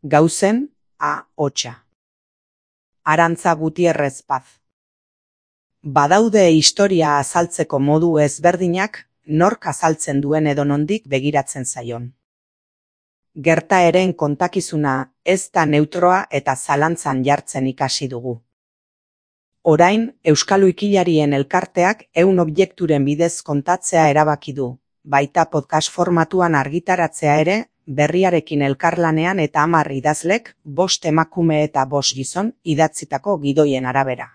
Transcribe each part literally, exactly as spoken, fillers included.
Gauzen, A. Hotxa. Arantza Gutierrez Paz. Badaude historia azaltzeko modu ezberdinak, nork azaltzen duen edonondik begiratzen zaion. Gertaeren kontakizuna ez da neutroa eta zalantzan jartzen ikasi dugu. Orain, Euskal Wikilarien elkarteak ehun objekturen bidez kontatzea erabaki du, baita podcast formatuan argitaratzea ere, berriarekin elkarlanean eta hamar idazlek, bost emakume eta bost gizon idatzitako gidoien arabera.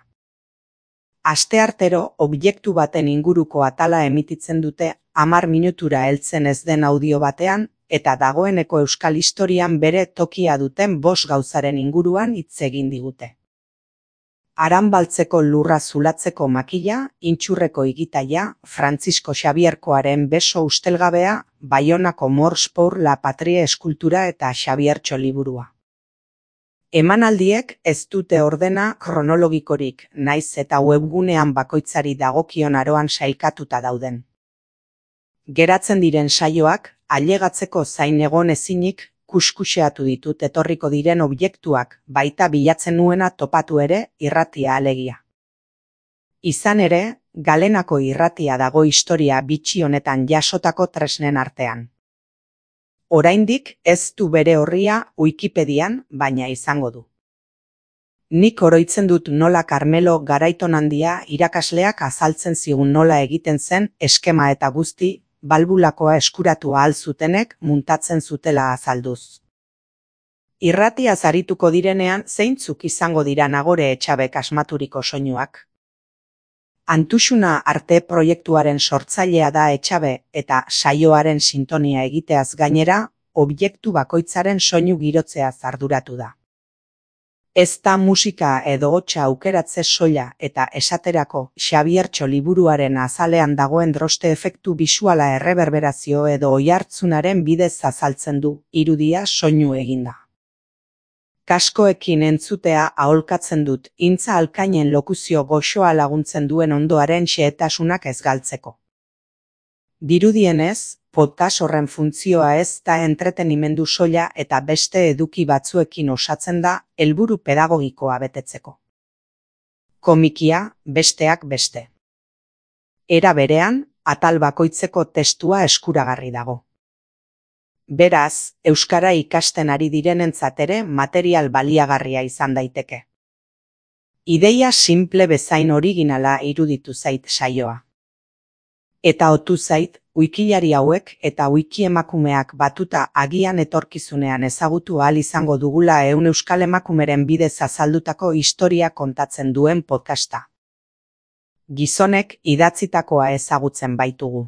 Asteartero objektu baten inguruko atala emititzen dute hamar minutura heltzen ez den audio batean, eta dagoeneko euskal historian bere tokia duten bost gauzaren inguruan hitz egin digute. Aranbaltzeko lurra zulatzeko makila, intxurreko igitaia, Francisco Xabierkoaren beso ustelgabea, Baionako Mors pour la Patrie eskultura eta Xabiertxo liburua. Emanaldiek ez dute ordena kronologikorik, naiz eta webgunean bakoitzari dagokion aroan sailkatuta dauden. Geratzen diren saioak, ailegatzeko zain egon ezinik, kuskuxeatu ditut etorriko diren objektuak, baita bilatzen nuena topatu ere, irratia alegia. Izan ere, Galenako irratia dago historia bitxi honetan jasotako tresnen artean. Oraindik ez du bere orria Wikipedian, baina izango du. Nik oroitzen dut nola Carmelo Garaitonandia irakasleak azaltzen zigun nola egiten zen eskema eta guzti, balbulakoa eskuratu ahal zutenek muntatzen zutela azalduz. Irratiaz arituko direnean zeintzuk izango dira Nagore Etxabek asmaturiko soinuak. Antuxuna arte proiektuaren sortzailea da Etxabe eta saioaren sintonia egiteaz gainera, objektu bakoitzaren soinu girotzeaz arduratu da. Ez da musika edo hotsa aukeratze soila eta esaterako Xabiertxo liburuaren azalean dagoen droste efektu bisuala erreberberazio edo oihartzunaren bidez azaltzen du, irudia soinu eginda. Kaskoekin entzutea aholkatzen dut, intza alkainen lokuzio goxoa laguntzen duen ondoaren xehetasunak ez galtzeko. Dirudienez, podcast horren funtzioa ez da entretenimendu soila eta beste eduki batzuekin osatzen da helburu pedagogikoa betetzeko. Komikia, besteak beste. Era berean, atal bakoitzeko testua eskuragarri dago. Beraz, euskara ikasten ari direnentzat ere material baliagarria izan daiteke. Ideia simple bezain originala iruditu zait saioa. Eta otu zait, wikilari hauek eta wikiemakumeak batuta agian etorkizunean ezagutu ahal izango dugula ehun euskal emakumeren bidez azaldutako historia kontatzen duen podcasta. Gizonek idatzitakoa ezagutzen baitugu.